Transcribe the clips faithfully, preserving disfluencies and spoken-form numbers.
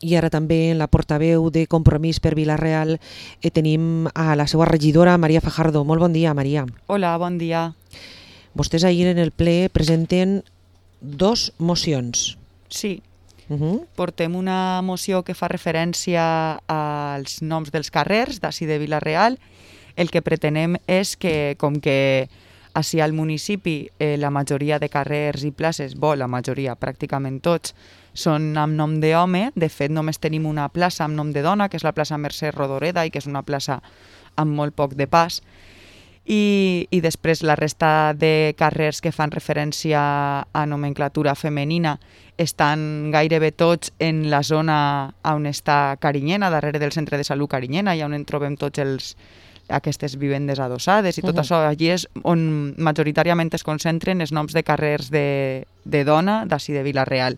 i ara també en la portaveu de Compromís per Vila-real eh, tenim a la seva regidora, Maria Fajardo. Molt bon dia, Maria. Hola, bon dia. Vostès ahir en el ple presenten dos mocions. Sí, Uh -huh. portem una moció que fa referència als noms dels carrers d'ací de Vila-real. El que pretenem és que, com que ací al municipi eh, la majoria de carrers i places, bo, la majoria, pràcticament tots, són amb nom d'home. De fet, només tenim una plaça amb nom de dona, que és la plaça Mercè Rodoreda, i que és una plaça amb molt poc de pas. I, i després la resta de carrers que fan referència a nomenclatura femenina estan gairebé tots en la zona on està Carinyena, darrere del centre de salut Carinyena, i on en trobem tots els aquestes vivendes adossades i tot uh -huh. això. Allí és on majoritàriament es concentren els noms de carrers de, de dona d'ací de Vila-real,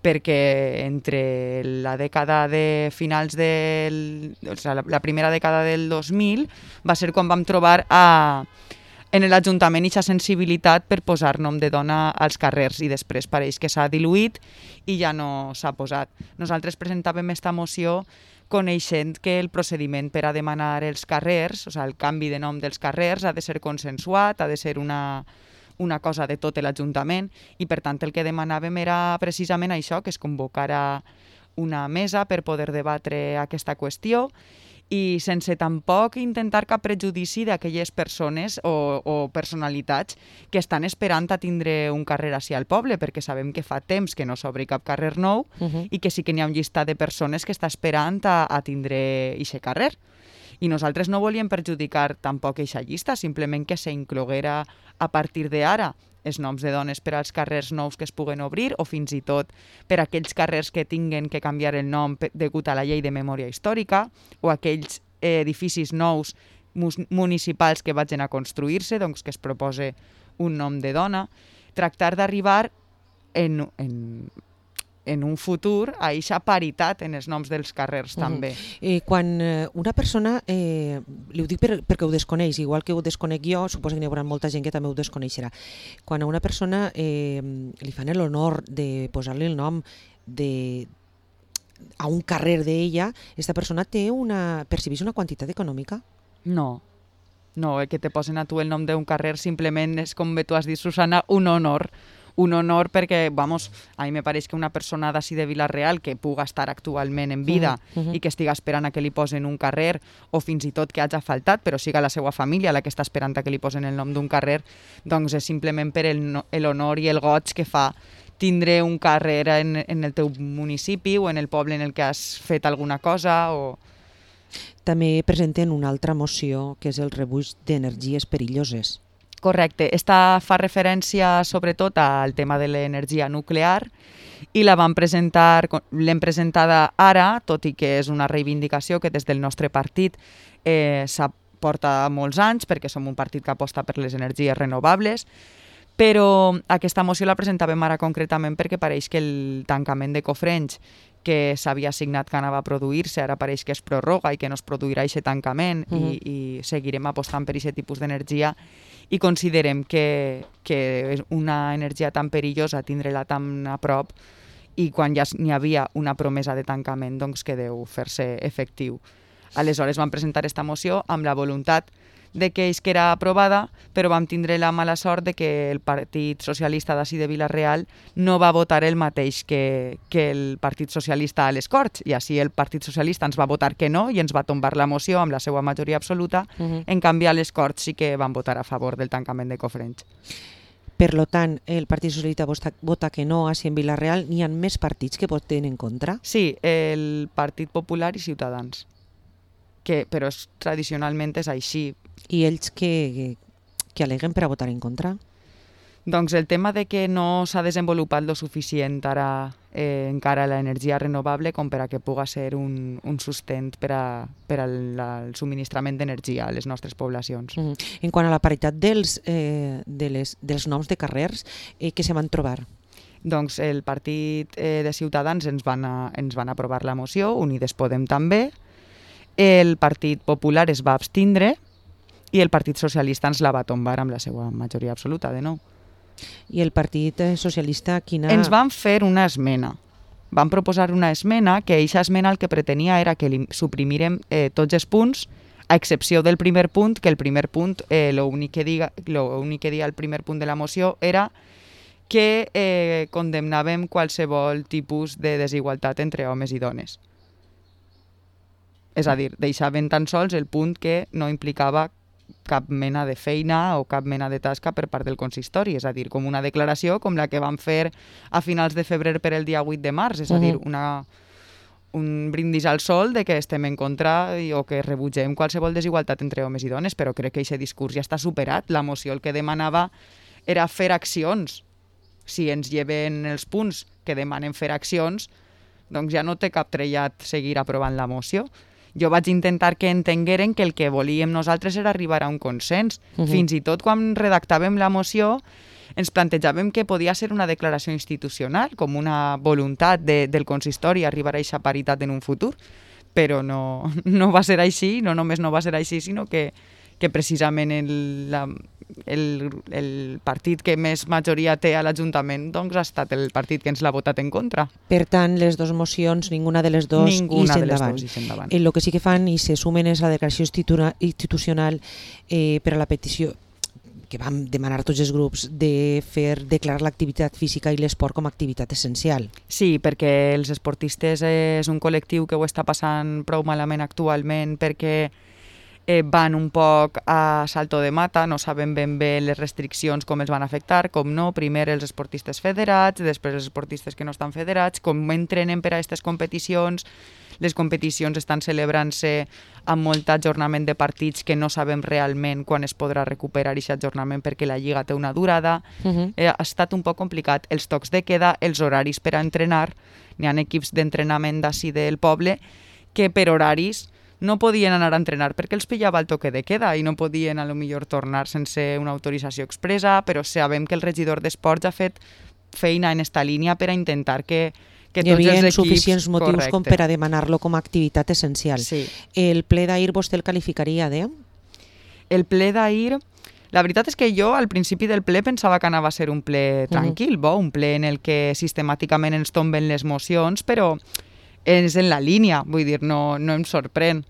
perquè entre la dècada de finals del... O sigui, la, la primera dècada del dos mil va ser quan vam trobar a, en l'Ajuntament aquesta sensibilitat per posar nom de dona als carrers, i després pareix que s'ha diluït i ja no s'ha posat. Nosaltres presentàvem aquesta moció coneixent que el procediment per a demanar els carrers, o sigui, el canvi de nom dels carrers, ha de ser consensuat, ha de ser una... una cosa de tot l'Ajuntament, i per tant el que demanàvem era precisament això, que es convocara una mesa per poder debatre aquesta qüestió i sense tampoc intentar cap prejudici d'aquelles persones o, o personalitats que estan esperant a tindre un carrer ací al poble, perquè sabem que fa temps que no s'obri cap carrer nou uh -huh. i que sí que n'hi ha un llistat de persones que està esperant a, a tindre aquest carrer. I nosaltres no volíem perjudicar tampoc aquesta llista, simplement que s'incloguera a partir d'ara els noms de dones per als carrers nous que es puguen obrir, o fins i tot per a aquells carrers que tinguen que canviar el nom degut a la llei de memòria històrica, o aquells edificis nous municipals que vagin a construir-se, doncs que es propose un nom de dona. Tractar d'arribar en... en en un futur a aquesta paritat en els noms dels carrers també. Uh-huh. eh, quan eh, una persona, eh, li ho dic per, perquè ho desconeix, igual que ho desconec jo, suposo que n'hi haurà molta gent que també ho desconeixerà. Quan a una persona eh, li fan l'honor de posar-li el nom de, a un carrer d'ella, aquesta persona té una, percebeix una quantitat econòmica? No, no, el que te posen a tu el nom d'un carrer simplement és, com tu has dit, Susana, un honor. Un honor perquè, vamos, a mi me pareix que una persona d'ací de Vila-real que puga estar actualment en vida uh -huh. i que estiga esperant a que li posen un carrer, o fins i tot que hagi faltat, però siga la seva família la que està esperant a que li posen el nom d'un carrer, doncs és simplement per l'honor i el goig que fa tindre un carrer en, en el teu municipi o en el poble en el que has fet alguna cosa. O... També presenten una altra moció, que és el rebuig d'energies perilloses. Correcte. Esta fa referència sobretot al tema de l'energia nuclear i la vam presentar, l'hem presentada ara, tot i que és una reivindicació que des del nostre partit eh, s'aporta molts anys, perquè som un partit que aposta per les energies renovables, però aquesta moció la presentàvem ara concretament perquè pareix que el tancament de Cofrents que s'havia assignat que anava a produir-se, ara pareix que es prorroga i que no es produirà aquest tancament, uh -huh. i, i seguirem apostant per aquest tipus d'energia, i considerem que, que és una energia tan perillosa tindre-la tan a prop, i quan ja n'hi havia una promesa de tancament, doncs que deu fer-se efectiu. Aleshores vam presentar aquesta moció amb la voluntat de que és que era aprovada, però vam tindre la mala sort de que el Partit Socialista d'ací de Vila-real no va votar el mateix que, que el Partit Socialista a les Corts, i així el Partit Socialista ens va votar que no i ens va tombar la moció amb la seva majoria absoluta. Uh-huh. En canvi, a les Corts sí que van votar a favor del tancament de Cofrents. Per lo tant, el Partit Socialista vota, vota que no, així en Vila-real. N'hi ha més partits que voten en contra? Sí, el Partit Popular i Ciutadans, que, però és, tradicionalment és així. I ells que, que aleguen per a votar en contra? Doncs el tema de que no s'ha desenvolupat lo suficient ara eh, encara l'energia renovable com per a que puga ser un, un sustent per, a, per al el subministrament d'energia a les nostres poblacions. Mm. En quant a la paritat dels, eh, de les, dels noms de carrers, eh, què se van trobar? Doncs el partit eh, de Ciutadans ens van, a, ens van aprovar la moció, Unides Podem també, el Partit Popular es va abstindre i el Partit Socialista ens la va tombar amb la seva majoria absoluta, de nou. I el Partit Socialista quina... Ens van fer una esmena. van proposar una esmena que eixa esmena el que pretenia era que suprimírem eh, tots els punts, a excepció del primer punt, que el primer punt, eh, l'únic que diga, l'únic que dia el primer punt de la moció era que eh, condemnàvem qualsevol tipus de desigualtat entre homes i dones. És a dir, deixaven tan sols el punt que no implicava cap mena de feina o cap mena de tasca per part del consistori, és a dir, com una declaració com la que van fer a finals de febrer per el dia vuit de març, és a dir, una, un brindis al sol de que estem en contra o que rebutgem qualsevol desigualtat entre homes i dones, però crec que aquest discurs ja està superat. La moció el que demanava era fer accions. Si ens lleven els punts que demanen fer accions, doncs ja no té cap trellat seguir aprovant la moció. Jo vaig intentar que entengueren que el que volíem nosaltres era arribar a un consens. Uh-huh. Fins i tot quan redactàvem la moció ens plantejàvem que podia ser una declaració institucional, com una voluntat de, del consistori arribar a aquesta paritat en un futur, però no, no va ser així, no només no va ser així, sinó que, que precisament el, la, el, el partit que més majoria té a l'Ajuntament doncs ha estat el partit que ens l'ha votat en contra. Per tant, les dues mocions, ninguna de les dues ninguna ix de les endavant. dues ix endavant. El que sí que fan i se sumen és la declaració institu- institucional eh, per a la petició que vam demanar tots els grups de fer declarar l'activitat física i l'esport com a activitat essencial. Sí, perquè els esportistes és un col·lectiu que ho està passant prou malament actualment perquè eh, van un poc a salto de mata, no saben ben bé les restriccions com els van afectar, com no, primer els esportistes federats, després els esportistes que no estan federats, com entrenen per a aquestes competicions. Les competicions estan celebrant-se amb molt ajornament de partits que no sabem realment quan es podrà recuperar aquest ajornament perquè la Lliga té una durada. Uh-huh. Eh, ha estat un poc complicat. Els tocs de queda, els horaris per a entrenar, n'hi ha equips d'entrenament d'ací del poble que per horaris no podien anar a entrenar perquè els pillava el toque de queda i no podien a lo millor tornar sense una autorització expressa, però sabem que el regidor d'Esports ha fet feina en esta línia per a intentar que que hi havia equips, suficients motius correcte. com per a demanar-lo com a activitat essencial. Sí. El ple d'ahir vostè el qualificaria de? El ple d'ahir, la veritat és que jo al principi del ple pensava que anava a ser un ple tranquil, uh-huh. bo, un ple en el que sistemàticament ens tomben les mocions, però és en la línia, vull dir, no, no em sorprèn.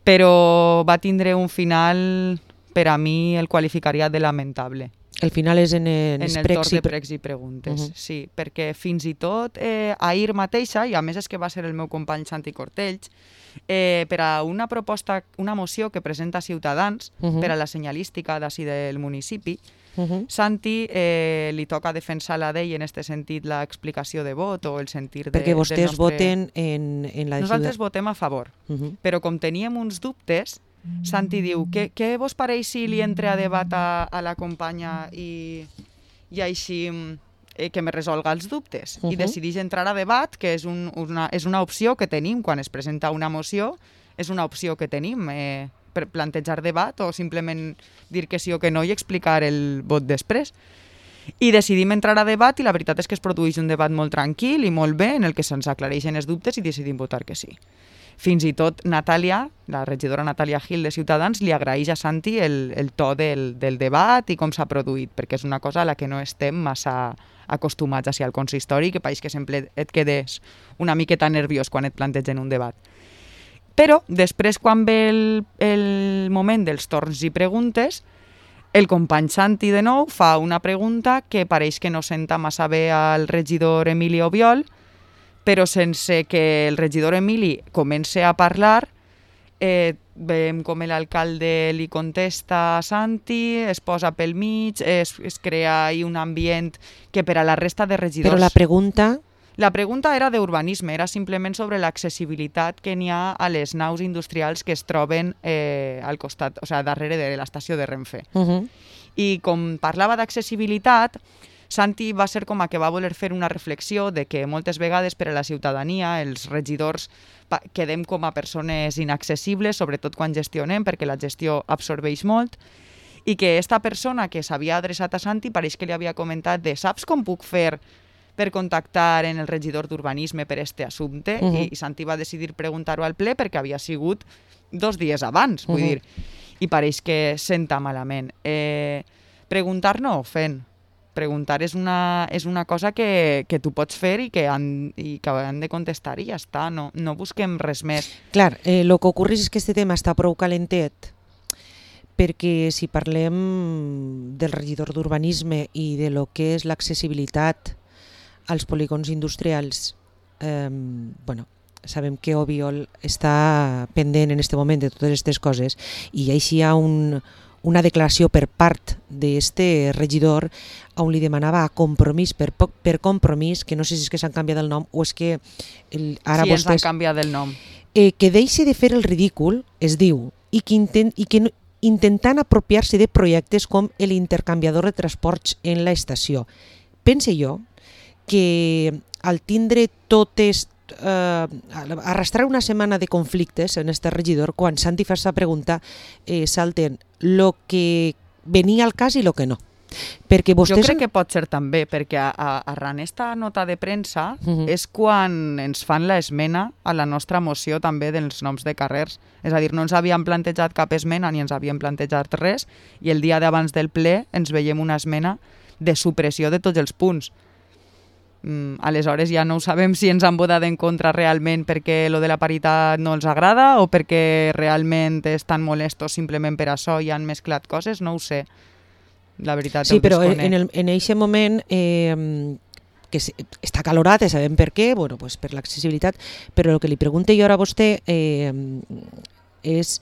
Però va tindre un final, per a mi el qualificaria de lamentable. El final és en, en, en el torn de pregs i preguntes, uh-huh. sí, perquè fins i tot eh, ahir mateixa, i a més és que va ser el meu company Santi Cortells, eh, per a una proposta, una moció que presenta Ciutadans uh-huh. per a la senyalística d'ací del municipi, uh-huh. Santi eh, li toca defensar la d'ell en aquest sentit l'explicació de vot o el sentir de, perquè vostès del nostre... voten en, en la... Nosaltres votem a favor, uh-huh. però com teníem uns dubtes, Santi diu, què, què vos pareix si li entre a debat a, a la companya i, i així eh, que me resolga els dubtes? Uh-huh. I decideix entrar a debat, que és, un, una, és una opció que tenim quan es presenta una moció, és una opció que tenim eh, per plantejar debat o simplement dir que sí o que no i explicar el vot després. I decidim entrar a debat i la veritat és que es produeix un debat molt tranquil i molt bé en el que se'ns aclareixen els dubtes i decidim votar que sí. Fins i tot Natàlia, la regidora Natàlia Gil de Ciutadans, li agraeix a Santi el, el to del, del debat i com s'ha produït, perquè és una cosa a la que no estem massa acostumats així al consistori, que pareix que sempre et quedes una miqueta nerviós quan et plantegen un debat. Però després, quan ve el, el moment dels torns i preguntes, el company Santi de nou fa una pregunta que pareix que no senta massa bé al regidor Emili Obiol, però sense que el regidor Emili comence a parlar, eh, veiem com l'alcalde li contesta a Santi, es posa pel mig, es, es crea ahí un ambient que per a la resta de regidors... Però la pregunta... La pregunta era d'urbanisme, era simplement sobre l'accessibilitat que n'hi ha a les naus industrials que es troben eh, al costat, o sigui, darrere de l'estació de Renfe. Uh-huh. I com parlava d'accessibilitat, Santi va ser com a que va voler fer una reflexió de que moltes vegades per a la ciutadania els regidors quedem com a persones inaccessibles, sobretot quan gestionem, perquè la gestió absorbeix molt, i que esta persona que s'havia adreçat a Santi pareix que li havia comentat de saps com puc fer per contactar en el regidor d'urbanisme per este assumpte, uh-huh. I, i Santi va decidir preguntar-ho al ple perquè havia sigut dos dies abans, vull uh-huh. dir, i pareix que senta malament. Eh, preguntar no ofèn. Preguntar és una, és una cosa que, que tu pots fer i que han, i que han de contestar i ja està, no, no busquem res més. Clar, eh, el que ocorre és que este tema està prou calentet, perquè si parlem del regidor d'urbanisme i de lo que és l'accessibilitat als polígons industrials, eh, bueno, sabem que Obiol està pendent en aquest moment de totes aquestes coses i així hi ha un, una declaració per part d'este regidor on li demanava a Compromís per, per Compromís, que no sé si és que s'han canviat el nom o és que el, ara sí, vostès... ens han canviat el nom. Eh, que deixi de fer el ridícul, es diu, i que, intent, i que no, intentant apropiar-se de projectes com l'intercanviador de transports en l'estació. Pense jo que al tindre totes, eh, arrastrar una setmana de conflictes en este regidor, quan s'han de fer la pregunta, eh, salten lo que venia al cas i lo que no. Perquè vostès... Jo crec que pot ser també, perquè a, a, arran esta nota de premsa uh-huh. és quan ens fan l'esmena a la nostra moció també dels noms de carrers. És a dir, no ens havíem plantejat cap esmena ni ens havíem plantejat res i el dia d'abans del ple ens veiem una esmena de supressió de tots els punts. Mm, aleshores ja no ho sabem si ens han votat en contra realment perquè lo de la paritat no els agrada o perquè realment estan molestos simplement per això i han mesclat coses, no ho sé. La veritat, sí, però en, el, en eixe moment eh, que està calorat, sabem per què, bueno, pues per l'accessibilitat, però el que li pregunto jo ara a vostè eh, és,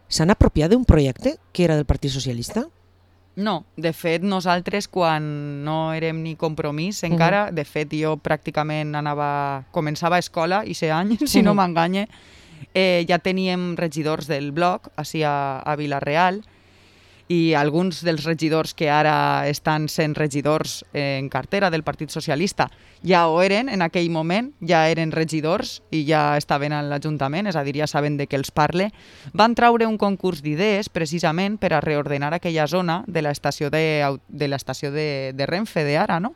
s'han apropiat d'un projecte que era del Partit Socialista? No, de fet nosaltres quan no érem ni Compromís encara, uh-huh. de fet jo pràcticament anava, començava a escola i ser any, si uh-huh. no m'enganye, eh, ja teníem regidors del bloc així a, a Vila-real i alguns dels regidors que ara estan sent regidors en cartera del Partit Socialista ja ho eren en aquell moment, ja eren regidors i ja estaven a l'Ajuntament, és a dir, ja saben de què els parle. Van traure un concurs d'idees precisament per a reordenar aquella zona de l'estació de, de, l'estació de, de Renfe d'ara, no?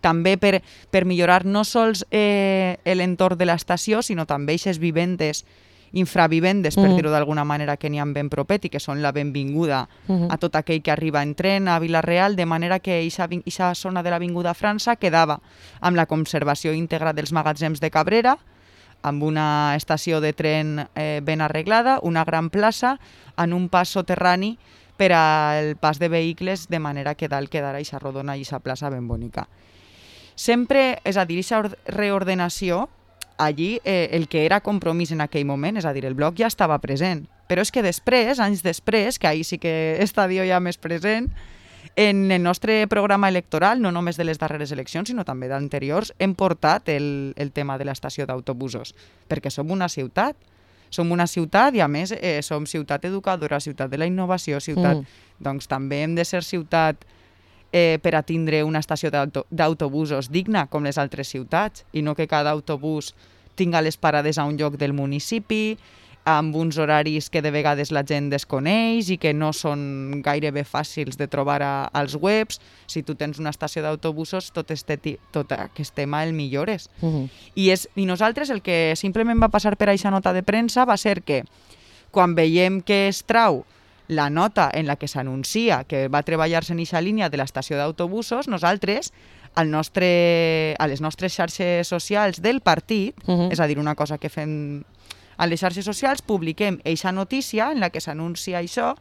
També per, per millorar no sols eh, l'entorn de l'estació, sinó també aquestes vivendes infravivendes, per uh-huh. dir-ho d'alguna manera, que n'hi ha ben propet i que són la benvinguda uh-huh. a tot aquell que arriba en tren a Vila-real, de manera que aquesta zona de l'Avinguda França quedava amb la conservació íntegra dels magatzems de Cabrera, amb una estació de tren eh, ben arreglada, una gran plaça, en un pas soterrani per al pas de vehicles, de manera que dalt quedarà aquesta rodona i aquesta plaça ben bonica. Sempre, és a dir, aquesta reordenació allí eh, el que era Compromís en aquell moment, és a dir, el bloc ja estava present. Però és que després, anys després, que ahir sí que està jo ja més present, en el nostre programa electoral, no només de les darreres eleccions, sinó també d'anteriors, hem portat el, el tema de l'estació d'autobusos, perquè som una ciutat. Som una ciutat i, a més, eh, som ciutat educadora, ciutat de la innovació, ciutat... Mm. Doncs també hem de ser ciutat eh, per a tindre una estació d'autobusos digna, com les altres ciutats, i no que cada autobús tinga les parades a un lloc del municipi, amb uns horaris que de vegades la gent desconeix i que no són gairebé fàcils de trobar a, als webs. Si tu tens una estació d'autobusos, tot, este, tot aquest tema el millores. Uh-huh. I, és, I nosaltres el que simplement va passar per aquesta nota de premsa va ser que quan veiem que es trau la nota en la que s'anuncia que va treballar-se en aquesta línia de l'estació d'autobusos, nosaltres, al nostre, a les nostres xarxes socials del partit, uh-huh. és a dir, una cosa que fem a les xarxes socials, publiquem aquesta notícia en la que s'anuncia això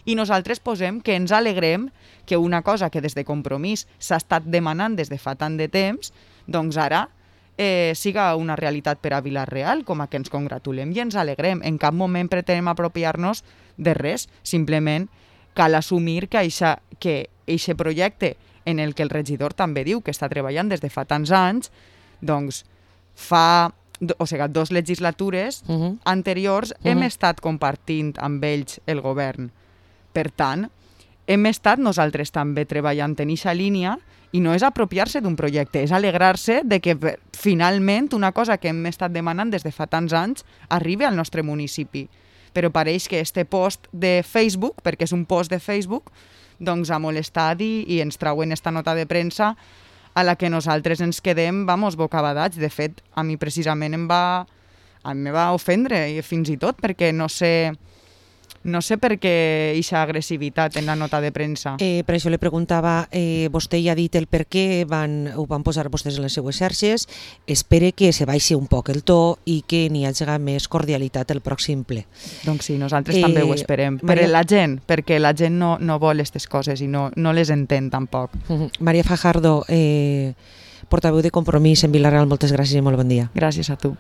i nosaltres posem que ens alegrem que una cosa que des de Compromís s'ha estat demanant des de fa tant de temps, doncs ara eh, siga una realitat per a Vila-real, com a que ens congratulem i ens alegrem. En cap moment pretenem apropiar-nos de res, simplement cal assumir que aquest projecte en el que el regidor també diu que està treballant des de fa tants anys, doncs fa, o sigui, dos legislatures uh-huh. anteriors uh-huh. hem estat compartint amb ells el govern. Per tant, hem estat nosaltres també treballant en aquesta línia i no és apropiar-se d'un projecte, és alegrar-se de que finalment una cosa que hem estat demanant des de fa tants anys arribi al nostre municipi. Però pareix que este post de Facebook, perquè és un post de Facebook, doncs ha molestat i, i ens trauen esta nota de premsa a la que nosaltres ens quedem, vamos, bocabadats. De fet, a mi precisament em va, a mi me va ofendre, i fins i tot, perquè no sé, no sé per què aquesta agressivitat en la nota de premsa. Eh, per això li preguntava, eh, vostè ja ha dit el per què van, ho van posar vostès en les seues xarxes, espere que se baixi un poc el to i que n'hi hagi més cordialitat el pròxim ple. Doncs sí, nosaltres eh, també ho esperem. Maria... Per la gent, perquè la gent no, no vol aquestes coses i no, no les entén tampoc. Uh-huh. Maria Fajardo, eh, portaveu de Compromís en Vila-real, moltes gràcies i molt bon dia. Gràcies a tu.